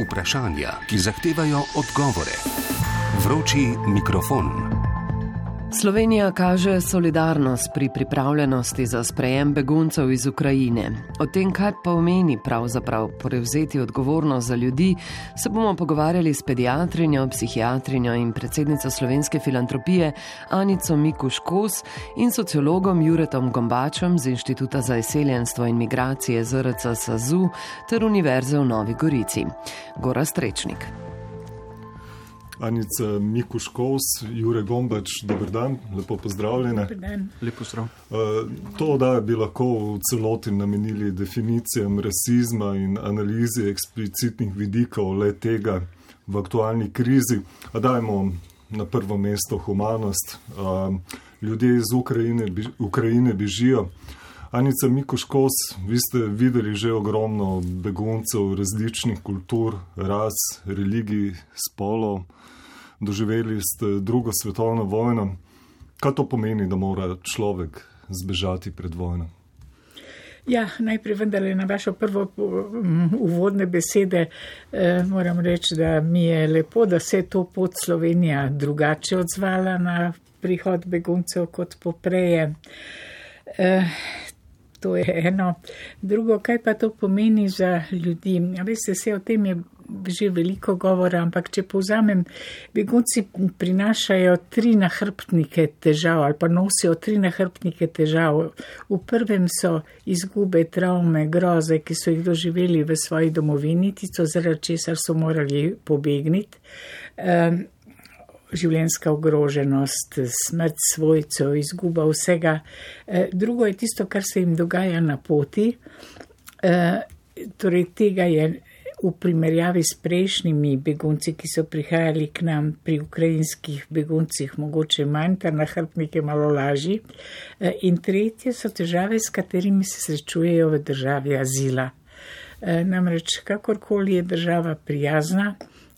vprašanja, ki zahtevajo odgovore. Vroči mikrofon. Slovenija kaže solidarnost pri pripravljenosti za sprejem beguncev iz Ukrajine. O tem, kaj pomeni pravzaprav prevzeti odgovornost za ljudi, se bomo pogovarjali s pediatrinjo, psihiatrinjo in predsednico Slovenske filantropije Anico Mikuš-Kos in sociologom Juretom Gombačem z Inštituta za izseljenstvo in migracije ZRC SAZU ter Univerze v Novi Gorici. Gorazd Strečnik. Anica Mikuš-Kos, Jure Gombač, dober dan, lepo pozdravljene. Dober dan. Lepo zdrav. To oddajo bi lahko v celoti namenili definicijam rasizma in analizi eksplicitnih vidikov le tega v aktualni krizi. A dajmo na prvo mesto humanost. Ljudje iz Ukrajine bežijo. Anica Mikuš-Kos, vi ste videli že ogromno beguncev različnih kultur, ras, religij, spolov. Doživeli ste drugo svetovno vojno. Kaj to pomeni, da mora človek zbežati pred vojno? Ja, najprej vendarle na vašo prvo uvodne besede moram reči, da mi je lepo, da se je to pot Slovenija drugače odzvala na prihod beguncev kot popreje. To je eno. Drugo, kaj pa to pomeni za ljudi? Veste, se o tem je že veliko govora, ampak če povzamem, begunci prinašajo 3 nahrbtnike težav ali pa nosijo 3 nahrbtnike težav. V prvem so izgube, travme, groze, ki so jih doživeli v svoji domovini, tisto zaradi česar so morali pobegniti. Življenjska ogroženost, smrt svojcev, izguba vsega. Drugo je tisto, kar se jim dogaja na poti. Torej tega je v primerjavi s prejšnjimi begunci, ki so prihajali k nam, pri ukrajinskih beguncih mogoče manj, ta nahrbtnik je malo lažji. In tretje so težave, s katerimi se srečujejo v državi azila. Namreč kakorkoli je država prijazna,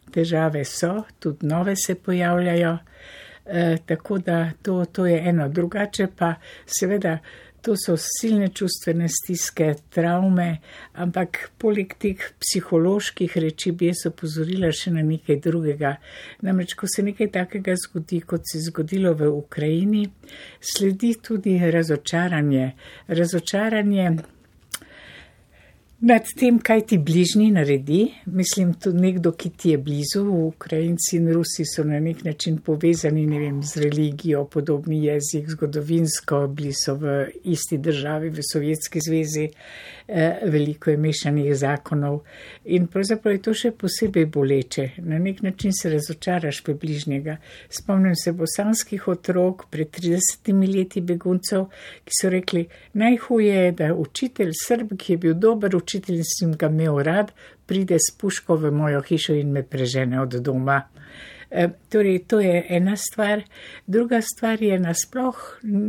težave so, tudi nove se pojavljajo, tako da to je eno. Drugače pa seveda to so silne čustvene stiske, travme, ampak poleg teh psiholoških reči bi jaz opozorila še na nekaj drugega. Namreč, ko se nekaj takega zgodi, kot se je zgodilo v Ukrajini, sledi tudi razočaranje. Razočaranje nad tem, kaj ti bližnji naredi. Mislim, tudi nekdo, ki ti je blizu. Ukrajinci in Rusi so na nek način povezani, ne vem, z religijo, podobni jezik, zgodovinsko, bili so v isti državi, v Sovjetski zvezi, veliko je mešanih zakonov. In pravzaprav je to še posebej boleče. Na nek način se razočaraš v bližnjega. Spomnim se bosanskih otrok pred 30 leti beguncev, ki so rekli, najhuje je, da učitelj Srb, ki je bil dober učitelj in sem ga imel rad, pride s puško v mojo hišo in me prežene od doma. Torej, to je ena stvar. Druga stvar je nasploh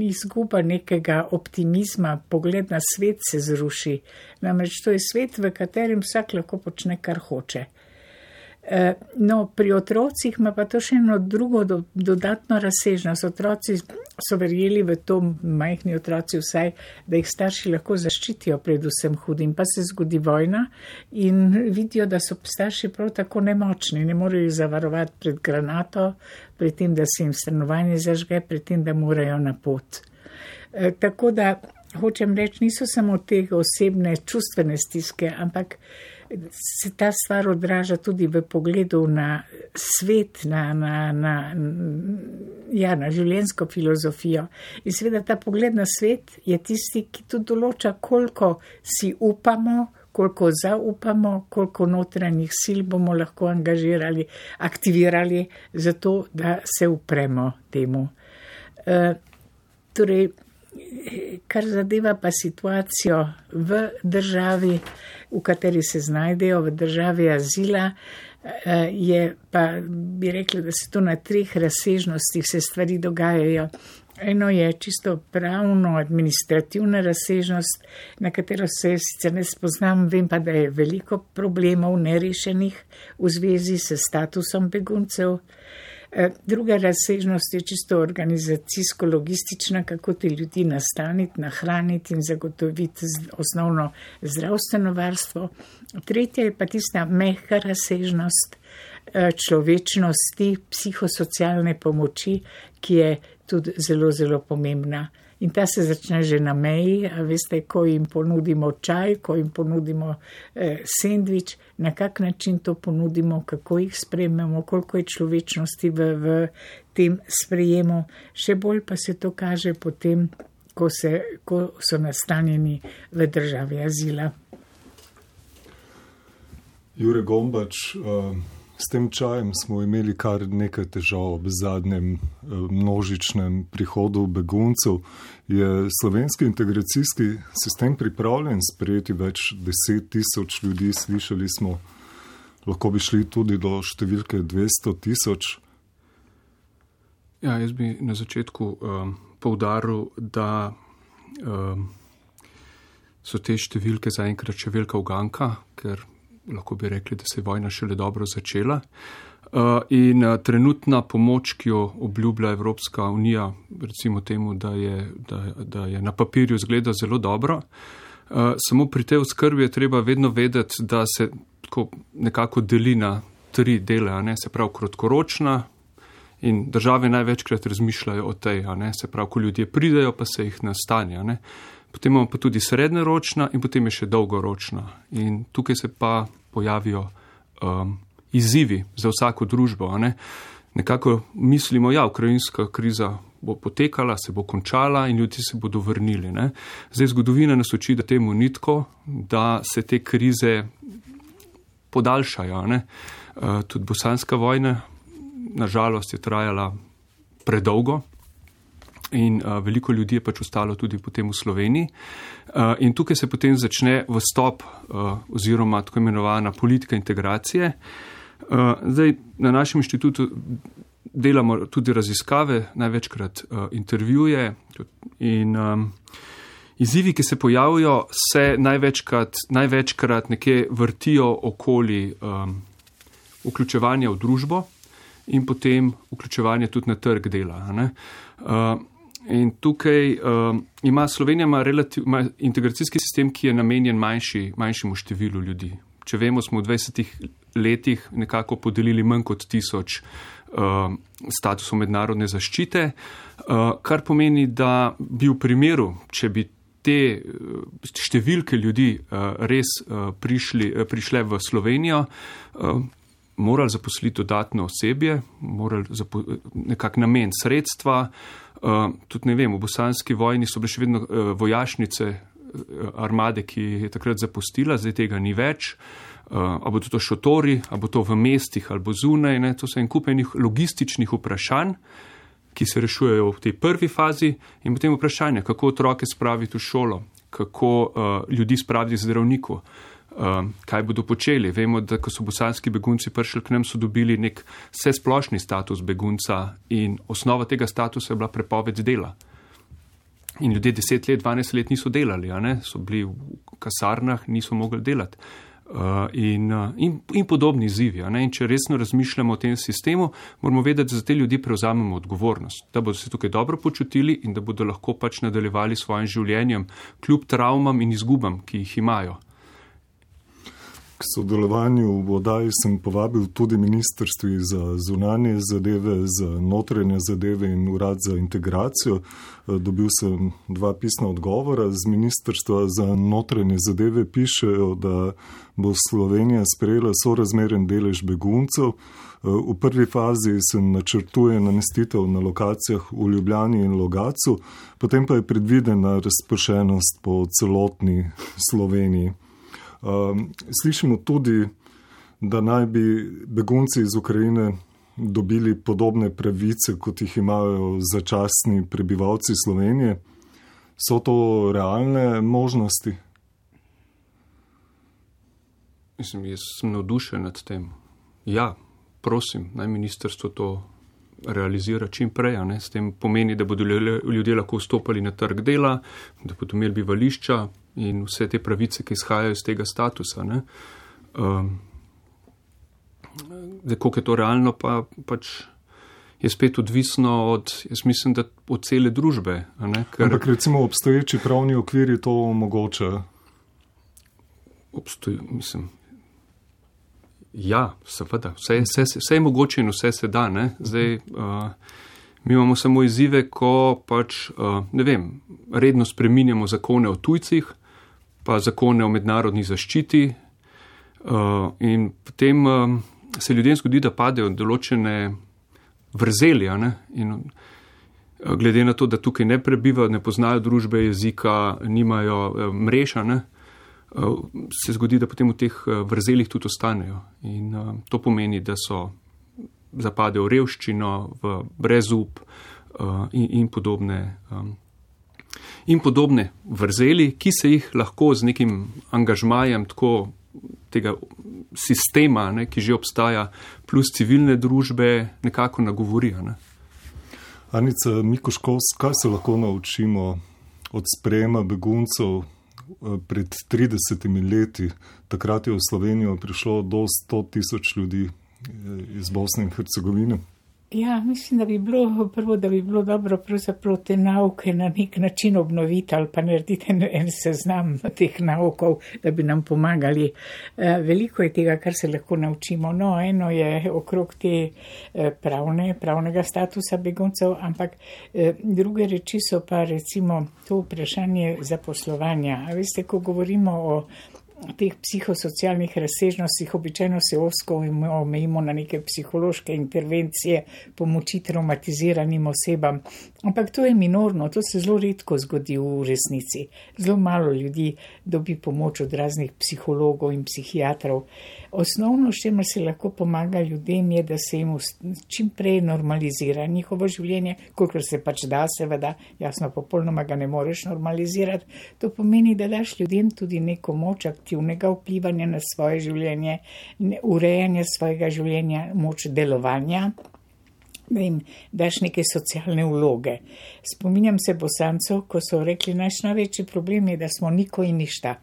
izguba nekega optimizma, pogled na svet se zruši. Namreč to je svet, v katerem vsak lahko počne, kar hoče. No, pri otrocih ima pa to še eno drugo dodatno razsežnost. Otroci so verjeli v to, majhni otroci vsaj, da jih starši lahko zaščitijo pred vsem hudim. Pa se zgodi vojna in vidijo, da so starši prav tako nemočni. Ne morejo jih zavarovati pred granato, pred tem, da se jim stanovanje zažge, pred tem, da morajo na pot. Tako da, hočem reči, niso samo te osebne čustvene stiske, ampak se ta stvar odraža tudi v pogledu na svet, na življenjsko filozofijo. In seveda ta pogled na svet je tisti, ki tudi določa, koliko si upamo, koliko zaupamo, koliko notranjih sil bomo lahko angažirali, aktivirali, zato da se upremo temu. Torej, kar zadeva pa situacijo v državi, v kateri se znajdejo, v državi azila, je pa, bi rekla, da se to na 3 razsežnostih se stvari dogajajo. Eno je čisto pravno, administrativna razsežnost, na katero se sicer ne spoznam, vem pa, da je veliko problemov nerešenih v zvezi s statusom beguncev. Druga razsežnost je čisto organizacijsko-logistična, kako te ljudi nastaniti, nahraniti in zagotoviti osnovno zdravstveno varstvo. Tretja je pa tista mehka razsežnost človečnosti, psihosocialne pomoči, ki je tudi zelo, zelo pomembna. In ta se začne že na meji, a veste, ko jim ponudimo čaj, ko jim ponudimo sendvič, na kak način to ponudimo, kako jih sprejmemo, koliko je človečnosti v tem sprejemu. Še bolj pa se to kaže potem, ko so nastanjeni v državi azila. Jure Gombač, s tem čajem smo imeli kar nekaj težav ob zadnjem množičnem prihodu beguncev. Je slovenski integracijski sistem pripravljen sprejeti več 10 000 ljudi? Slišali smo, lahko bi šli tudi do številke 200 000. Ja, jaz bi na začetku poudaril, da so te številke zaenkrat še velika uganka, ker lahko bi rekli, da se je vojna šele dobro začela. In trenutna pomoč, ki jo obljublja Evropska unija, recimo temu, da je na papirju zgleda zelo dobro, samo pri tej oskrbi je treba vedno vedeti, da se nekako deli na 3 dele, se pravi kratkoročna, in države največkrat razmišljajo o tej, se pravi, ko ljudje pridejo, pa se jih nastanje. Potem imamo pa tudi srednjeročna in potem je še dolgoročna. In tukaj se pa pojavijo izzivi za vsako družbo. Nekako mislimo, ukrajinska kriza bo potekala, se bo končala in ljudje se bodo vrnili. Zdaj zgodovina nas uči, da temu ni tako, da se te krize podaljšajo. Tudi bosanska vojna, nažalost, je trajala predolgo. In veliko ljudi je pač ostalo tudi potem v Sloveniji. In tukaj se potem začne vstop oziroma tako imenovana politika integracije. Zdaj na našem inštitutu delamo tudi raziskave, največkrat intervjuje in izzivi, ki se pojavijo, se največkrat nekje vrtijo okoli vključevanja v družbo in potem vključevanje tudi na trg dela. In tukaj ima Slovenija ima integracijski sistem, ki je namenjen manjšemu številu ljudi. Če vemo, smo v 20 letih nekako podelili manj kot 1000 statusov mednarodne zaščite, kar pomeni, da bi v primeru, če bi te številke ljudi res prišle v Slovenijo, morali zaposliti dodatno osebje, morali nekako nameniti sredstva. Tudi ne vem, v bosanski vojni so bile še vedno vojašnice armade, ki je takrat zapustila, zdaj tega ni več. A bo to šotori, a bo to v mestih ali bo zunaj, to so en kup enih logističnih vprašanj, ki se rešujejo v tej prvi fazi in potem vprašanje, kako otroke spraviti v šolo, kako ljudi spraviti zdravniku, kaj bodo počeli. Vemo, da ko so bosanski begunci prišli k nam, so dobili nek vsesplošni status begunca in osnova tega statusa je bila prepoved dela. In ljudje 10 let, 12 let niso delali, so bili v kasarnah, niso mogli delati. In podobni izzivi. In če resno razmišljamo o tem sistemu, moramo vedeti, da za te ljudi prevzamemo odgovornost, da bodo se tukaj dobro počutili in da bodo lahko pač nadaljevali svojim življenjem, kljub travmam in izgubam, ki jih imajo. K sodelovanju v oddaji sem povabil tudi ministrstvi za zunanje zadeve, za notranje zadeve in urad za integracijo. Dobil sem 2 pisna odgovora. Z ministrstva za notranje zadeve pišejo, da bo Slovenija sprejela sorazmeren delež beguncev. V prvi fazi se načrtuje namestitev na lokacijah v Ljubljani in Logatcu, potem pa je predvidena razpršenost po celotni Sloveniji. Slišimo tudi, da naj bi begunci iz Ukrajine dobili podobne pravice, kot jih imajo začasni prebivalci Slovenije. So to realne možnosti? Jaz sem navdušen nad tem. Ja, prosim, naj ministrstvo to realizira čim prej. S tem pomeni, da bodo ljudje lahko vstopali na trg dela, da bodo imeli bivališča in vse te pravice, ki izhajajo iz tega statusa. Koliko je to realno, pač je spet odvisno jaz mislim, da od cele družbe. Ampak recimo obstoječi pravni okviri to omogoča. Ja, seveda, vse je mogoče in vse se da. Ne? Zdaj, mi imamo samo izzive, ko pač, redno spreminjamo zakone o tujcih, pa zakone o mednarodni zaščiti in potem se ljudem zgodi, da padejo določene vrzeli, in glede na to, da tukaj ne prebivajo, ne poznajo družbe, jezika, nimajo mreža, se zgodi, da potem v teh vrzelih tudi ostanejo. In to pomeni, da zapadejo v revščino, v brezup in podobne vrzeli, ki se jih lahko z nekim angažmajem tako tega sistema, ki že obstaja, plus civilne družbe, nekako nagovorijo. Anica Mikuš-Kos, kaj se lahko naučimo od sprejema beguncev pred 30 leti? Takrat je v Slovenijo prišlo do 100,000 ljudi iz Bosne in Hercegovine. Ja, mislim, da bi bilo dobro pravzaprav te nauke na nek način obnoviti ali pa narediti en seznam teh naukov, da bi nam pomagali. Veliko je tega, kar se lahko naučimo. No, eno je okrog te pravnega statusa beguncev, ampak druge reči so pa recimo to vprašanje zaposlovanja. A veste, ko govorimo o teh psihosocialnih razsežnostih, običajno se ozko omejimo na neke psihološke intervencije, pomoči traumatiziranim osebam. Ampak to je minorno, to se zelo redko zgodi v resnici. Zelo malo ljudi dobi pomoč od raznih psihologov in psihiatrov. Osnovno, s čimer se lahko pomaga ljudem, je, da se jim čim prej normalizira njihovo življenje, kolikor se pač da, seveda, jasno, popolnoma ga ne moreš normalizirati. To pomeni, da daš ljudem tudi neko moč aktivnega vplivanja na svoje življenje, urejanja svojega življenja, moč delovanja, da jim daš neke socialne vloge. Spominjam se Bosancov, ko so rekli, naš največji problem je, da smo niko in ništa.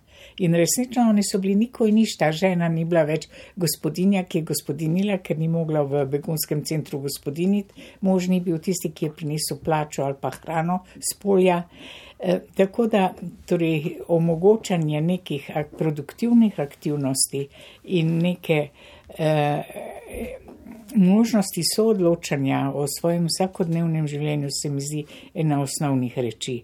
In resnično oni so bili niko in ništa, žena ni bila več gospodinja, ki je gospodinila, ker ni mogla v begunskem centru gospodiniti, mož ni bil tisti, ki je prinesel plačo ali pa hrano s polja. Tako da torej, omogočanje nekih produktivnih aktivnosti in neke možnosti soodločanja o svojem vsakodnevnem življenju se mi zdi ena osnovnih reči.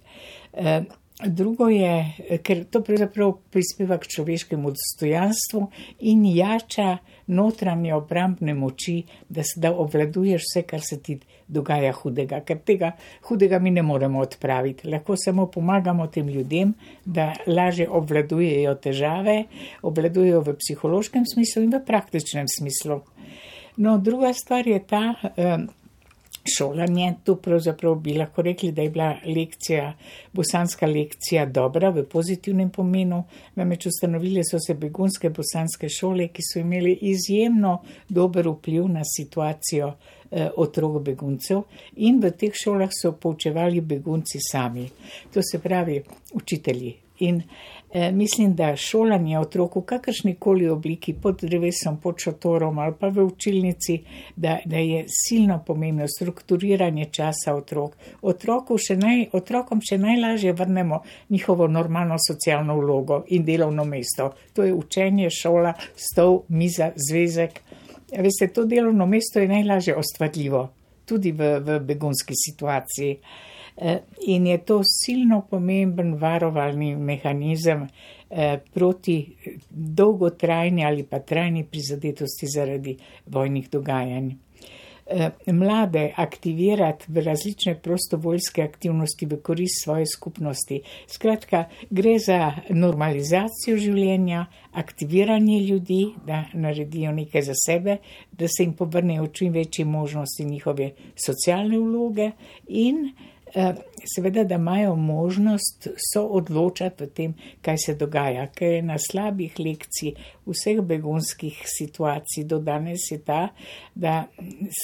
Drugo je, ker to pravzaprav prispeva k človeškemu dostojanstvu in jača notranje obrambne moči, da obvladuješ vse, kar se ti dogaja hudega. Ker tega hudega mi ne moremo odpraviti. Lahko samo pomagamo tem ljudem, da lažje obvladujejo težave, obvladujejo v psihološkem smislu in v praktičnem smislu. No, druga stvar je ta šolanje. Tu pravzaprav bi lahko rekli, da je bila bosanska lekcija dobra v pozitivnem pomenu. Namreč ustanovile so se begunske bosanske šole, ki so imeli izjemno dober vpliv na situacijo otrok beguncev in v teh šolah so poučevali begunci sami. To se pravi učitelji. In mislim, da šolanje otrok v kakršnikoli obliki, pod drevesom, pod šotorom ali pa v učilnici, da je silno pomembno strukturiranje časa otrok. Otrokom še najlažje vrnemo njihovo normalno socialno vlogo in delovno mesto. To je učenje, šola, stol, miza, zvezek. Veste, to delovno mesto je najlažje ustvarljivo, tudi v begunski situaciji. In je to silno pomemben varovalni mehanizem proti dolgotrajni ali pa trajni prizadetosti zaradi vojnih dogajanj. Mlade aktivirati v različne prostovoljske aktivnosti v korist svoje skupnosti. Skratka, gre za normalizacijo življenja, aktiviranje ljudi, da naredijo nekaj za sebe, da se jim povrnejo čim večje možnosti njihove socialne vloge in seveda, da imajo možnost soodločati v tem, kaj se dogaja. Ker je na slabih lekcij vseh begunskih situacij do danes je ta, da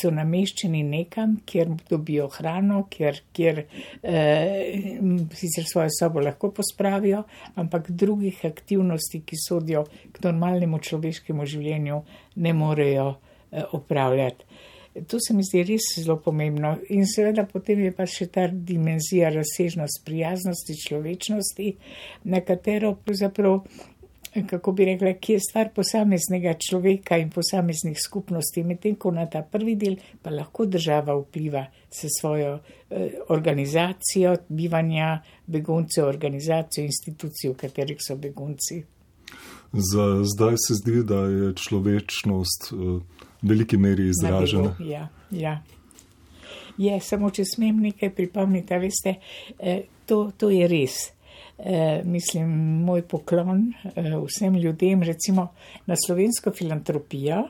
so nameščeni nekam, kjer dobijo hrano, kjer sicer svojo sobo lahko pospravijo, ampak drugih aktivnosti, ki sodijo k normalnemu človeškemu življenju, ne morejo opravljati. To se mi zdi res zelo pomembno. In seveda potem je pa še ta dimenzija razsežnost prijaznosti, človečnosti, na katero pravzaprav, kako bi rekla, ki je stvar posameznega človeka in posameznih skupnosti, medtem ko na ta prvi del pa lahko država vpliva s svojo organizacijo bivanja beguncev, organizacijo institucij, v katerih so begunci. Zdaj se zdi, da je človečnost v veliki meri izražena. Ja. Je, samo če smem nekaj pripomniti, veste, to je res. Mislim, moj poklon vsem ljudem, recimo na slovensko filantropijo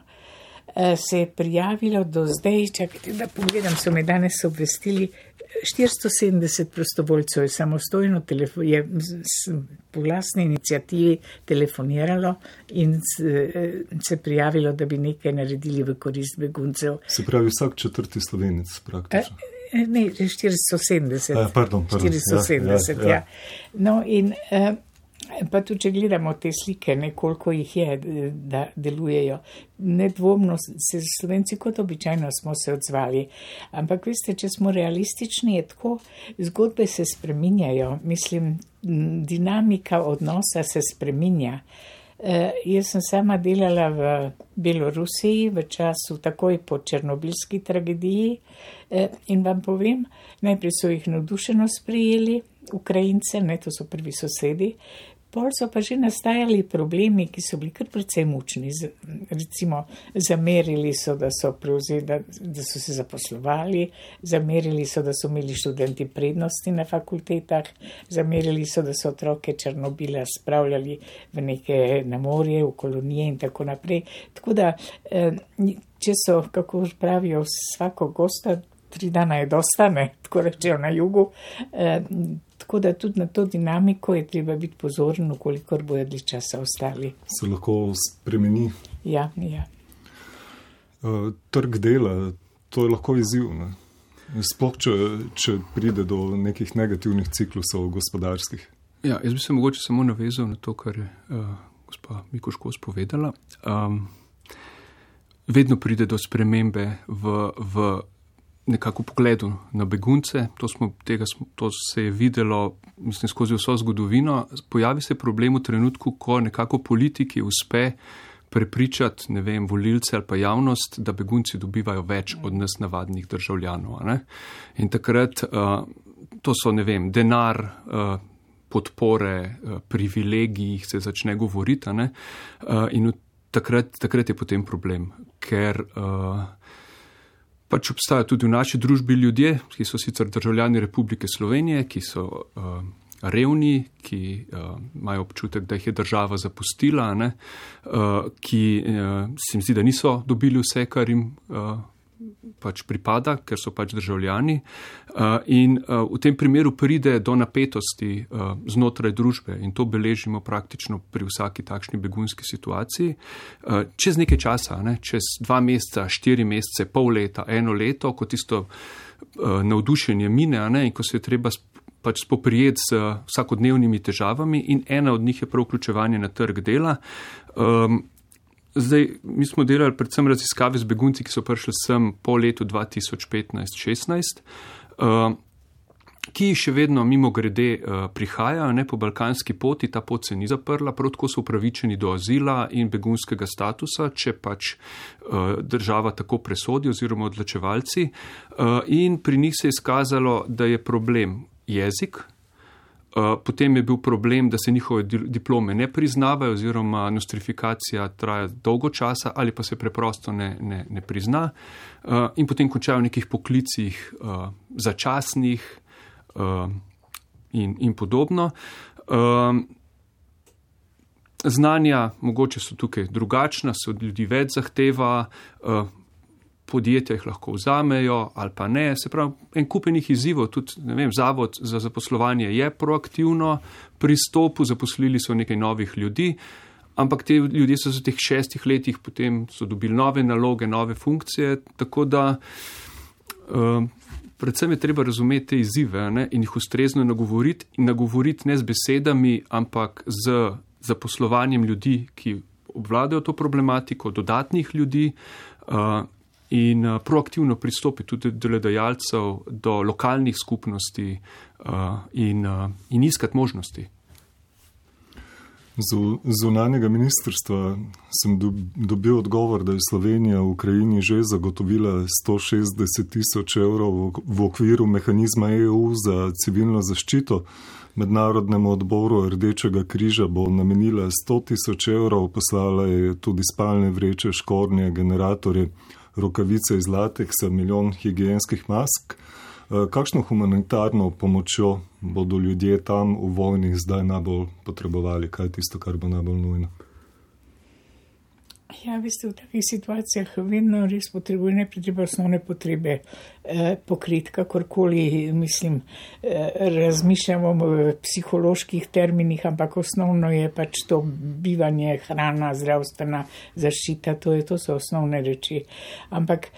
se je prijavilo do zdaj, čakajte, da pogledam, so me danes obvestili, 470 prostovoljcev je samostojno je po glasni inicijativi telefoniralo in se prijavilo, da bi nekaj naredili v korist beguncev. Se pravi vsak četrti Slovenec praktično. Ne, 470. Pardon. 470, ja. No in pa tudi, če gledamo te slike, koliko jih je, da delujejo. Nedvomno se Slovenci kot običajno smo se odzvali. Ampak veste, če smo realistični, je tako, zgodbe se spreminjajo. Mislim, dinamika odnosa se spreminja. Jaz sem sama delala v Belorusiji v času takoj po černobilski tragediji in vam povem, najprej so jih navdušeno sprejeli, Ukrajince, to so prvi sosedi, pol so pa že nastajali problemi, ki so bili kar precej mučni. Recimo, zamerili so, da so se zaposlovali, zamerili so, da so imeli študenti prednosti na fakultetah, zamerili so, da so otroke Černobila spravljali v neke na morje, v kolonije in tako naprej. Tako da, če so, kako pravijo, svako gosta, 3 dana je dosta, tako rečejo na jugu, tako da tudi na to dinamiko je treba biti pozoren, kolikor bojo dlje časa ostali. Se lahko spremeni. Ja. Trg dela, to je lahko izziv, ne? Sploh, če pride do nekih negativnih ciklusov gospodarskih. Ja, jaz bi se mogoče samo navezal na to, kar je gospa Mikuš-Kos povedala. Vedno pride do spremembe v nekako pogledu na begunce, to se je videlo, mislim, skozi vso zgodovino. Pojavi se problem v trenutku, ko nekako politiki uspe prepričati, volilce ali pa javnost, da begunci dobivajo več od nas navadnih državljanov. Ne? In takrat to so, denar, podpore, privilegiji, se začne govoriti. Ne? In takrat je potem problem, ker pač obstajajo tudi v naši družbi ljudje, ki so sicer državljani Republike Slovenije, ki so revni, ki imajo občutek, da jih je država zapustila, ki se mi zdi, da niso dobili vse, kar jim pač pripada, ker so pač državljani. In v tem primeru pride do napetosti znotraj družbe in to beležimo praktično pri vsaki takšni begunski situaciji. Čez nekaj časa, čez 2 meseca, 4 mesece, pol leta, 1 leto, ko tisto navdušenje mine in ko se je treba pač spoprijeti z vsakodnevnimi težavami in ena od njih je prav vključevanje na trg dela. Zdaj, mi smo delali predvsem raziskave z begunci, ki so prišli sem po letu 2015-16, ki še vedno mimo grede prihajajo po balkanski poti, ta pot se ni zaprla, prav tako so upravičeni do azila in begunskega statusa, če pač država tako presodi oziroma odločevalci. In pri njih se je izkazalo, da je problem jezik. Potem je bil problem, da se njihove diplome ne priznavajo oziroma nostrifikacija traja dolgo časa ali pa se preprosto ne prizna in potem končajo v nekih poklicih začasnih in podobno. Znanja mogoče so tukaj drugačna, se od ljudi več zahteva, podjetja jih lahko vzamejo ali pa ne. Se pravi, en kupenih izzivov, tudi Zavod za zaposlovanje je proaktivno pristopil, zaposlili so nekaj novih ljudi, ampak te ljudje so v teh 6 letih potem so dobili nove naloge, nove funkcije, tako da predvsem je treba razumeti te izzive in jih ustrezno nagovoriti ne z besedami, ampak z zaposlovanjem ljudi, ki obvladajo to problematiko, dodatnih ljudi, in proaktivno pristopiti tudi do delodajalcev, do lokalnih skupnosti in iskati možnosti. Z zunanjega ministrstva sem dobil odgovor, da je Slovenija v Ukrajini že zagotovila 160.000 evrov v okviru mehanizma EU za civilno zaščito. Mednarodnemu odboru Rdečega križa bo namenila 100.000 evrov, poslala je tudi spalne vreče, škornje, generatorje, rokavice iz lateksa, 1 milijon higienskih mask. Kakšno humanitarno pomočjo bodo ljudje tam v vojni zdaj najbolj potrebovali? Kaj je tisto, kar bo najbolj nujno? Ja, veste, v takih situacijah vedno res potrebuje najprej treba osnovne potrebe pokriti, kakorkoli, mislim, razmišljamo v psiholoških terminih, ampak osnovno je pač to bivanje, hrana, zdravstvena zaščita, to so osnovne reči. Ampak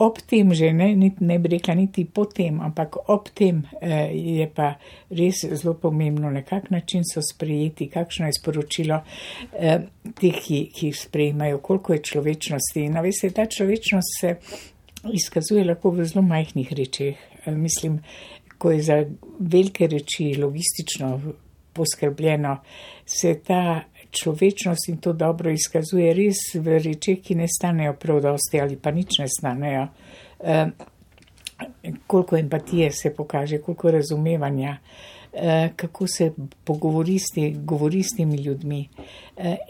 ob tem že, ne bi rekla niti po tem, ampak ob tem je pa res zelo pomembno, na kak način so sprejeti, kakšno je sporočilo teh, ki jih sprejemajo, koliko je človečnosti. In veste, ta človečnost se izkazuje lahko v zelo majhnih rečeh. Mislim, ko je za velike reči logistično poskrbljeno, se ta človečnost in to dobro izkazuje res v rečeh, ki ne stanejo prav dosti ali pa nič ne stanejo. Koliko empatije se pokaže, koliko razumevanja, kako se govori s temi ljudmi.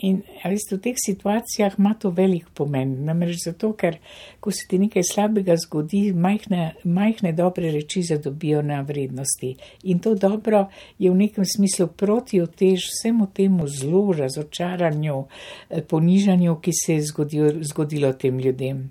In veste, v teh situacijah ima to velik pomen, namreč zato, ker ko se ti nekaj slabega zgodi, majhne dobre reči zadobijo na vrednosti. In to dobro je v nekem smislu protiotež vsemu temu zlu, razočaranju, ponižanju, ki se je zgodilo tem ljudem.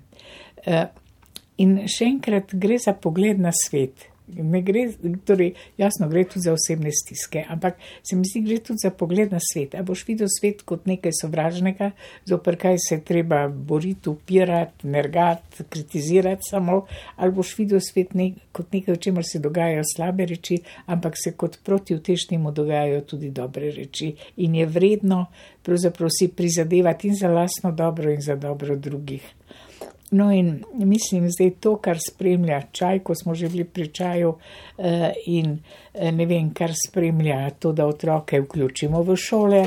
In še enkrat gre za pogled na svet. Ne gre, torej, jasno, gre tudi za osebne stiske, ampak se mi zdi, gre tudi za pogled na svet. A boš videl svet kot nekaj sovražnega, zoper kaj se treba boriti, upirati, nergati, kritizirati samo, ali boš videl svet kot nekaj, v čemer se dogajajo slabe reči, ampak se kot protiutež temu dogajajo tudi dobre reči. In je vredno pravzaprav si prizadevati in za lastno dobro in za dobro drugih. No in mislim, zdaj to, kar spremlja čaj, ko smo že bili pri čaju in ne vem, kar spremlja to, da otroke vključimo v šole,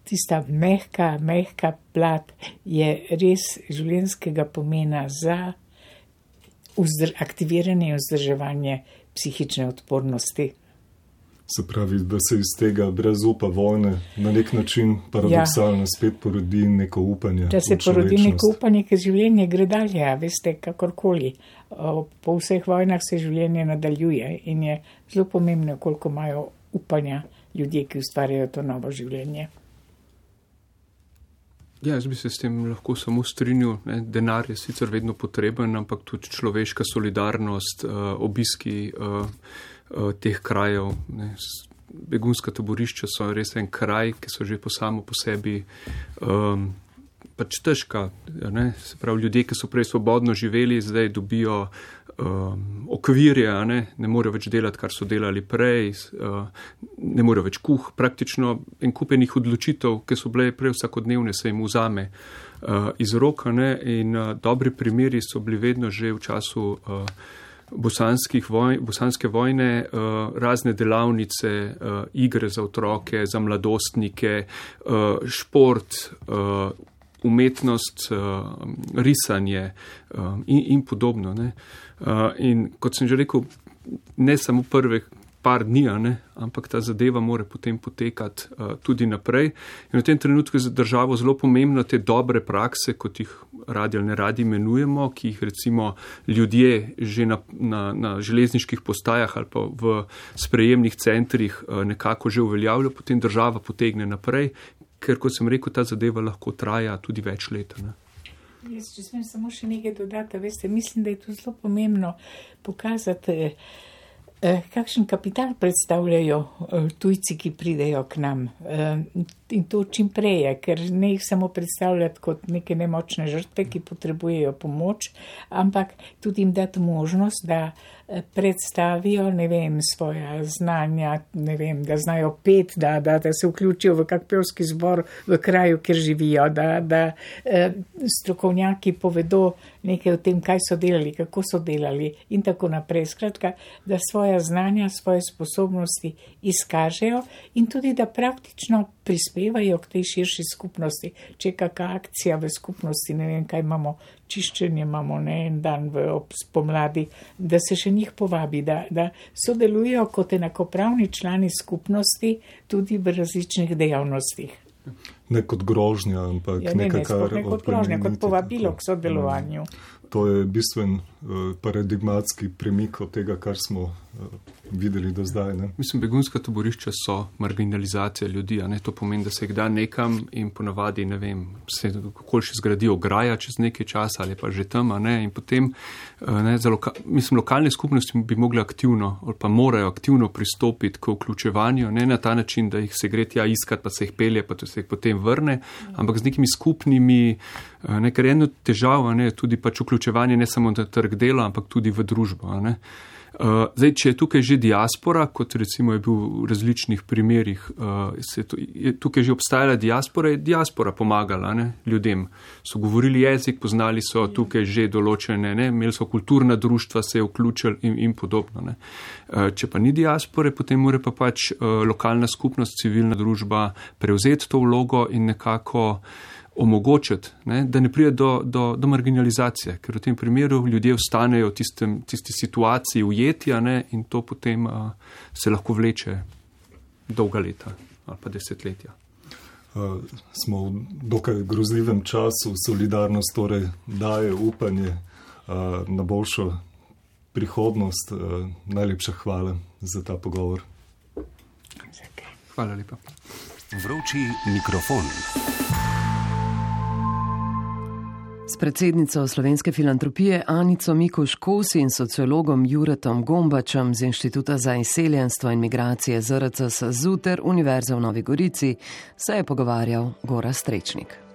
tista mehka plat je res življenjskega pomena za aktiviranje in vzdrževanje psihične odpornosti. Se pravi, da se iz tega brezupa vojne na nek način paradoksalno spet porodi neko upanje. Da se porodi neko upanje, ker življenje gre dalje, veste, kakorkoli. Po vseh vojnah se življenje nadaljuje in je zelo pomembno, koliko imajo upanja ljudje, ki ustvarjajo to novo življenje. Ja, jaz bi se s tem lahko samo strinjal. Denar je sicer vedno potreben, ampak tudi človeška solidarnost, obiski teh krajev. Begunska taborišča so res en kraj, ki so že samo po sebi pač težka. Se pravi, ljudje, ki so prej svobodno živeli, zdaj dobijo okvirje, ne morejo več delati, kar so delali prej, ne morejo več praktično en kupenih odločitev, ki so bile prej vsakodnevne, se jim vzame iz roka, in dobri primeri so bili vedno že v času bosanske vojne, razne delavnice, igre za otroke, za mladostnike, šport, umetnost, risanje in podobno. In kot sem že rekel, ne samo prve par dni, ampak ta zadeva mora potem potekati tudi naprej. In v tem trenutku je za državo zelo pomembno te dobre prakse, kot jih radi ali ne radi imenujemo, ki jih recimo ljudje že na železniških postajah ali pa v sprejemnih centrih nekako že uveljavljajo, potem država potegne naprej, ker, kot sem rekel, ta zadeva lahko traja tudi več let. Jaz, če smem samo še nekaj dodati, veste, mislim, da je to zelo pomembno pokazati, kakšen kapital predstavljajo tujci, ki pridejo k nam. in to čim preje, ker ne jih samo predstavljati kot neke nemočne žrtve, ki potrebujejo pomoč, ampak tudi jim dati možnost, da predstavijo, svoja znanja, da znajo pet, da se vključijo v kak pevski zbor v kraju, kjer živijo, da strokovnjaki povedo nekaj o tem, kaj so delali, kako so delali in tako naprej. Skratka, da svoja znanja, svoje sposobnosti izkažejo in tudi, da praktično prispevajo k tej širši skupnosti. Če je kakšna akcija v skupnosti, kaj imamo, čiščenje imamo en dan spomladi, da se še njih povabi, da sodelujo kot enakopravni člani skupnosti tudi v različnih dejavnostih. Ne kot grožnja, ampak ne kot grožnja, kot povabilo k sodelovanju. To je bistven paradigmatski premik od tega, kar smo videli do zdaj. Ne? Mislim, begunska taborišča so marginalizacija ljudi, to pomeni, da se jih da nekam in ponavadi, se kako še zgradi ograja čez nekaj časa ali pa že tam, in potem, lokalne skupnosti bi mogli aktivno ali pa morajo aktivno pristopiti k vključevanju, ne na ta način, da jih se gre tja iskat, pa se jih pelje, pa se jih potem vrne, ampak z nekimi skupnimi, ker eno težavo, tudi pač vključevanje ne samo na trg dela, ampak tudi v družbo. Zdaj, če je tukaj že diaspora, kot recimo je bil v različnih primerih, tukaj že obstajala diaspora, je diaspora pomagala ljudem. So govorili jezik, poznali so tukaj že določene, imeli so kulturna društva, se je vključili in podobno. Če pa ni diaspore, potem mora pa pač lokalna skupnost, civilna družba prevzeti to vlogo in nekako omogočiti, da ne pride do marginalizacije, ker v tem primeru ljudje ostanejo v tisti situaciji ujetja in to potem se lahko vleče dolga leta ali pa desetletja. Smo v dokaj grozljivem času, solidarnost torej daje upanje na boljšo prihodnost. Najlepša hvala za ta pogovor. Hvala lepa. Vroči mikrofon. S predsednico Slovenske filantropije Anico Mikuš-Kos in sociologom Juretom Gombačem z Inštituta za izseljenstvo in migracije ZRC SAZU ter Univerze v Novi Gorici se je pogovarjal Gorazd Strečnik.